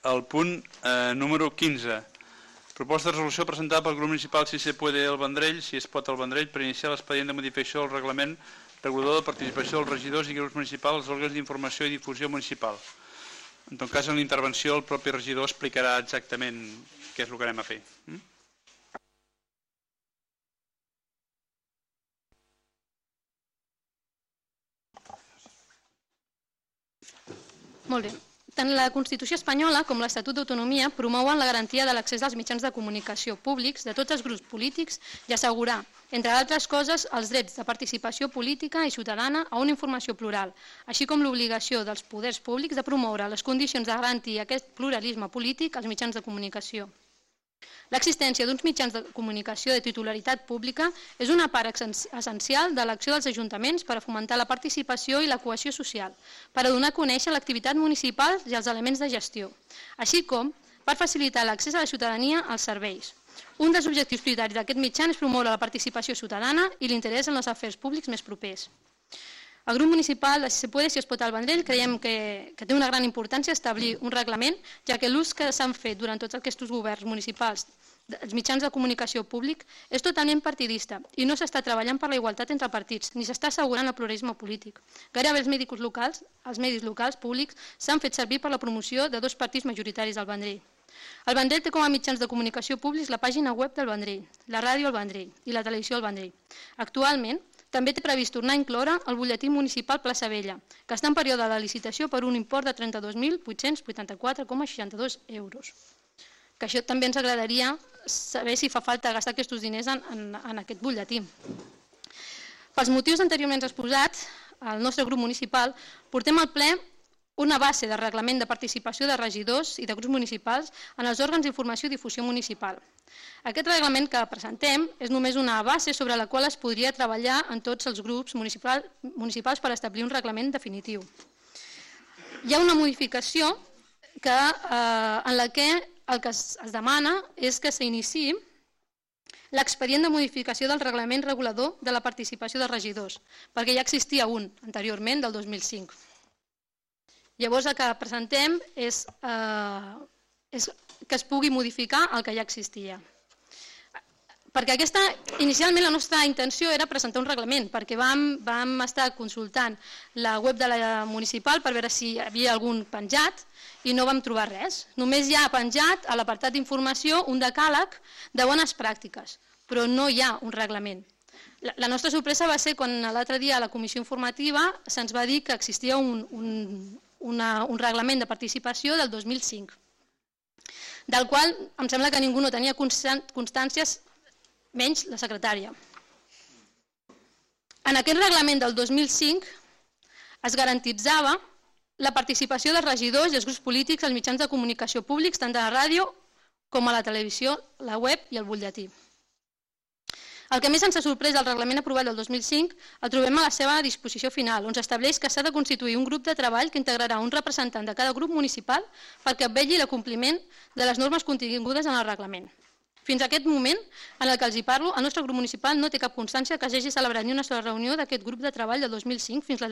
el punt número 15. Proposta de resolució presentada pel grup municipal Si se puede el Vendrell, si es pot el Vendrell, per iniciar l'expedient de modificació del reglament regulador de participació dels regidors i grups municipals als òrgans d'informació i difusió municipal. En tot cas, en la intervenció el propi regidor explicarà exactament què és el que anem a fer. Molt bé. Tant la Constitució espanyola com l'Estatut d'Autonomia promouen la garantia de l'accés als mitjans de comunicació públics de tots els grups polítics i assegurar, entre altres coses, els drets de participació política i ciutadana a una informació plural, així com l'obligació dels poders públics de promoure les condicions de garantir aquest pluralisme polític als mitjans de comunicació. L'existència d'uns mitjans de comunicació de titularitat pública és una part essencial de l'acció dels ajuntaments per a fomentar la participació i la cohesió social, per a donar a conèixer l'activitat municipal i els elements de gestió, així com per facilitar l'accés a la ciutadania als serveis. Un dels objectius prioritaris d'aquest mitjà és promoure la participació ciutadana i l'interès en els afers públics més propers. El grup municipal de Si se puede, si es pot al Vendrell, creiem que té una gran importància establir un reglament, ja que l'ús que s'han fet durant tots aquests governs municipals dels mitjans de comunicació públic és totalment partidista i no s'està treballant per la igualtat entre partits, ni s'està assegurant el pluralisme polític. Gairebé els medis locals públics s'han fet servir per la promoció de dos partits majoritaris al Vendrell. El Vendrell té com a mitjans de comunicació públics la pàgina web del Vendrell, la ràdio al Vendrell i la televisió al Vendrell. Actualment, també té previst tornar a incloure el butlletí municipal Plaça Vella, que està en període de licitació per un import de 32.884,62 euros. Que això també ens agradaria saber si fa falta gastar aquests diners en aquest butlletí. Pels motius anteriorment exposats, el nostre grup municipal portem al ple una base de reglament de participació de regidors i de grups municipals en els òrgans d'informació i difusió municipal. Aquest reglament que presentem és només una base sobre la qual es podria treballar en tots els grups municipals per establir un reglament definitiu. Hi ha una modificació en la que el que es demana és que s'iniciï l'expedient de modificació del reglament regulador de la participació de regidors, perquè ja existia un anteriorment del 2005. Llavors el que presentem és que es pugui modificar el que ja existia. Perquè inicialment la nostra intenció era presentar un reglament, perquè vam estar consultant la web de la municipal per veure si hi havia algun penjat i no vam trobar res. Només hi ha penjat a l'apartat d'informació un decàleg de bones pràctiques, però no hi ha un reglament. La nostra sorpresa va ser quan l'altre dia a la comissió informativa se'ns va dir que existia un reglament de participació del 2005, del qual em sembla que ningú no tenia constàncies, menys la secretària. En aquest reglament del 2005 es garantitzava la participació dels regidors i els grups polítics als mitjans de comunicació públics, tant de la ràdio com a la televisió, la web i el butlletí. El que més ens ha sorprès del reglament aprovat del 2005 el trobem a la seva disposició final, on s'estableix que s'ha de constituir un grup de treball que integrarà un representant de cada grup municipal perquè vetlli l'acompliment de les normes contingudes en el reglament. Fins a aquest moment en el que els hi parlo, el nostre grup municipal no té cap constància que s'hagi celebrat ni una sola reunió d'aquest grup de treball del 2005 fins a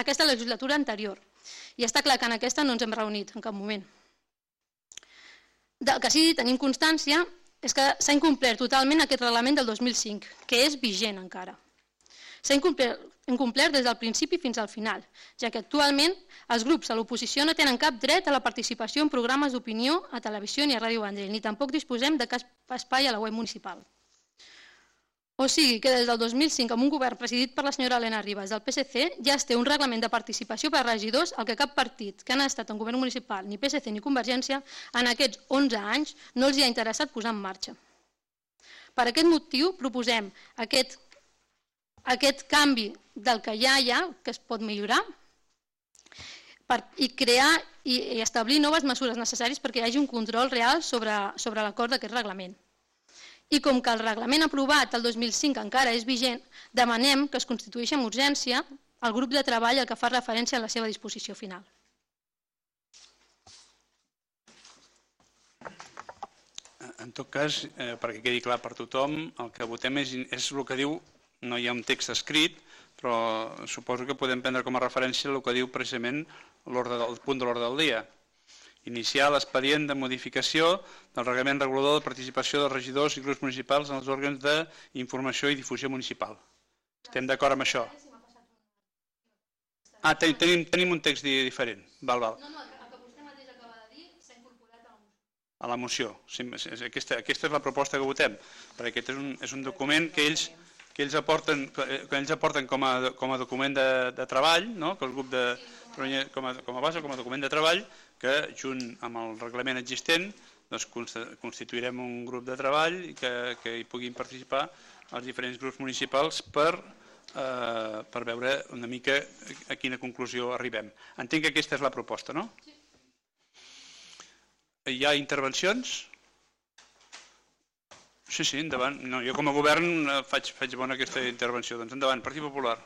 aquesta legislatura anterior. I està clar que en aquesta no ens hem reunit en cap moment. Del que sí tenim constància és que s'ha incomplert totalment aquest reglament del 2005, que és vigent encara. S'ha incomplert des del principi fins al final, ja que actualment els grups a l'oposició no tenen cap dret a la participació en programes d'opinió a televisió ni a Ràdio Vendrell, ni tampoc disposem de cap espai a la web municipal. O sigui que des del 2005, amb un govern presidit per la senyora Elena Ribas del PSC, ja es té un reglament de participació per a regidors al que cap partit que han estat en govern municipal, ni PSC ni Convergència, en aquests 11 anys no els hi ha interessat posar en marxa. Per aquest motiu proposem aquest canvi del que ja hi ha, que es pot millorar, i crear i establir noves mesures necessàries perquè hi hagi un control real sobre l'acord d'aquest reglament. I com que el reglament aprovat el 2005 encara és vigent, demanem que es constitueixi amb urgència el grup de treball al que fa referència a la seva disposició final. En tot cas, perquè quedi clar per tothom, el que votem és el que diu, no hi ha un text escrit, però suposo que podem prendre com a referència el que diu precisament el punt de l'ordre del dia. iniciar l'expedient de modificació del reglament regulador de participació dels regidors i grups municipals en els òrgans d'informació i difusió municipal. Estem d'acord amb això? Ah, tenim un text diferent. Val. No, el que vostè mateix acaba de dir s'ha incorporat a la moció. A la moció. Aquesta és la proposta que votem, perquè aquest és un document que ells aporten com a document de treball, que el grup com a base, com a document de treball, que junt amb el reglament existent constituirem un grup de treball i que hi puguin participar els diferents grups municipals per veure una mica a quina conclusió arribem. Entenc que aquesta és la proposta, no? Sí. Hi ha intervencions? Sí, endavant. Jo com a govern faig bona aquesta intervenció. Doncs endavant, Partit Popular.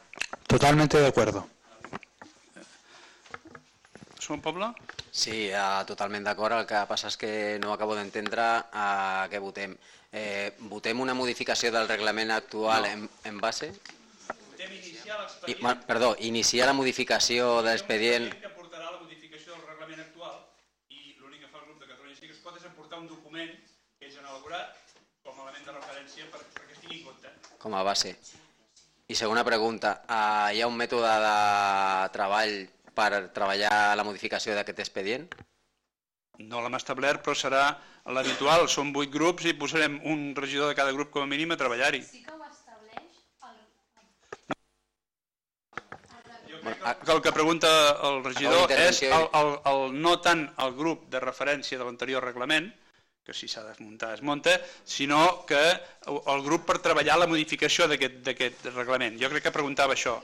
Totalmente de acuerdo. Som poble? Sí, totalment d'acord. El que passa és que no acabo d'entendre què votem. Votem una modificació del reglament actual en base? Perdó, iniciar la modificació de l'expedient... que portarà la modificació del reglament actual i l'únic que fa el grup de Catalunya Sí que es pot és aportar un document que ells han elaborat com a element de referència perquè es tingui en compte. Com a base. I segona pregunta, hi ha un mètode de treball per treballar la modificació d'aquest expedient? No l'hem establert, però serà l'habitual. Som 8 grups i posarem un regidor de cada grup com a mínim a treballar-hi. Sí que ho estableix el que pregunta el regidor és no tant el grup de referència de l'anterior reglament, que si s'ha de desmuntar es munta, sinó que el grup per treballar la modificació d'aquest reglament. Jo crec que preguntava això.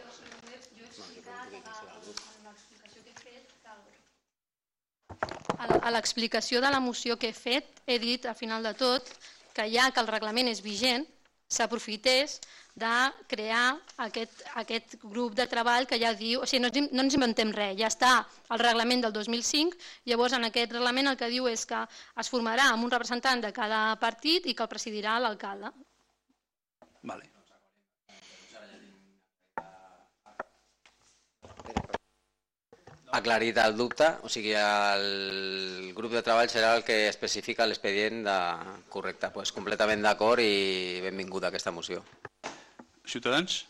A l'explicació de la moció que he fet, he dit al final de tot que ja que el reglament és vigent, s'aprofités de crear aquest grup de treball que ja diu, o sigui, no ens inventem res, ja està el reglament del 2005, llavors en aquest reglament el que diu és que es formarà amb un representant de cada partit i que el presidirà l'alcalde. Vale. Aclarit el dubte, o sigui, el grup de treball serà el que especifica l'expedient correcte. Doncs completament d'acord i benvinguda aquesta moció. Ciutadans?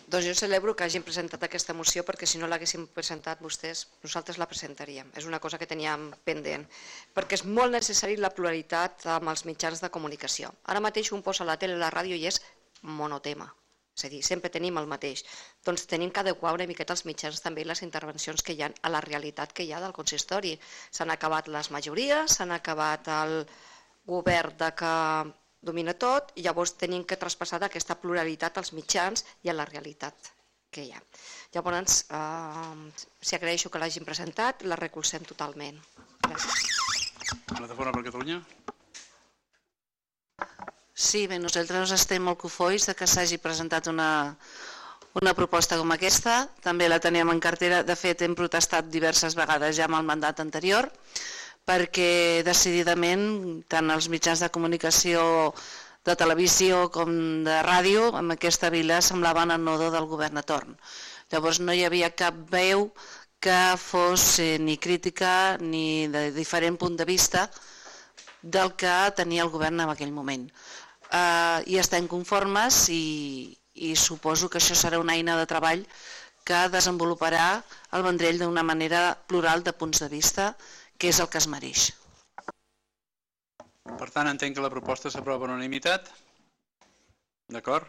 Doncs jo celebro que hagin presentat aquesta moció perquè si no l'haguéssim presentat vostès, nosaltres la presentaríem. És una cosa que teníem pendent, perquè és molt necessari la pluralitat amb els mitjans de comunicació. Ara mateix un posa la tele i la ràdio i és monotema. És a dir, sempre tenim el mateix. Doncs tenim que adequar una miqueta els mitjans també i les intervencions que hi ha a la realitat que hi ha del consistori. S'han acabat les majories, s'han acabat el govern que domina tot i llavors tenim que traspassar aquesta pluralitat als mitjans i a la realitat que hi ha. Llavors, si agraeixo que l'hagin presentat, la recolzem totalment. Gràcies. Plataforma per Catalunya? Sí, bé, nosaltres estem molt cofois que s'hagi presentat una proposta com aquesta. També la teníem en cartera. De fet, hem protestat diverses vegades ja amb el mandat anterior perquè decididament tant els mitjans de comunicació de televisió com de ràdio en aquesta vila semblaven el nodo del govern a torn. Llavors no hi havia cap veu que fos ni crítica ni de diferent punt de vista del que tenia el govern en aquell moment. I estem conformes i suposo que això serà una eina de treball que desenvoluparà el Vendrell d'una manera plural de punts de vista, que és el que es mereix. Per tant, entenc que la proposta s'aprova per unanimitat. D'acord?